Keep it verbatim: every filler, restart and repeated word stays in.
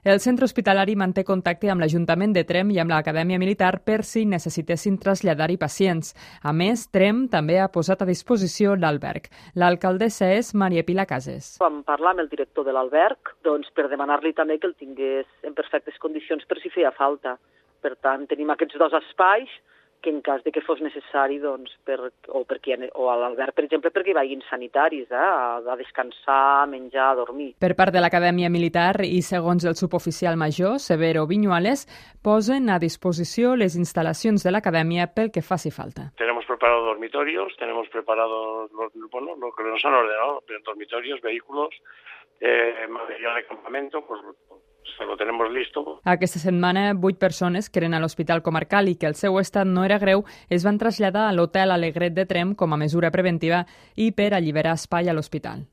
El centre hospitalari manté contacte amb l'Ajuntament de Tremp i amb l'Acadèmia Militar per si necessitessin traslladar-hi pacients. A més, Tremp també ha posat a disposició l'alberg. L'alcaldessa és Maria Pilar Cases. Vam parlar amb el director de l'alberg doncs, per demanar-li també que el tingués en perfectes condicions per si feia falta. Per tant, tenim aquests dos espais que en cas de que fos necessari, doncs, per, o, perquè, o a l'alberg, per exemple, perquè hi vagin sanitaris, eh, a, a descansar, a menjar, a dormir. Per part de l'Acadèmia Militar i segons el suboficial major, Severo Viñuales, posen a disposició les instal·lacions de l'Acadèmia pel que faci falta. Tenemos preparados dormitorios, tenemos preparados los, bueno, lo que nos han ordenado, dormitorios, vehículos, eh, material de campamento, pues se lo tenemos listo. Aquesta setmana, vuit persones que eren a l'Hospital Comarcal i que el seu estat no era greu es van traslladar a l'Hotel Alegret de Tremp com a mesura preventiva i per alliberar espai a l'hospital.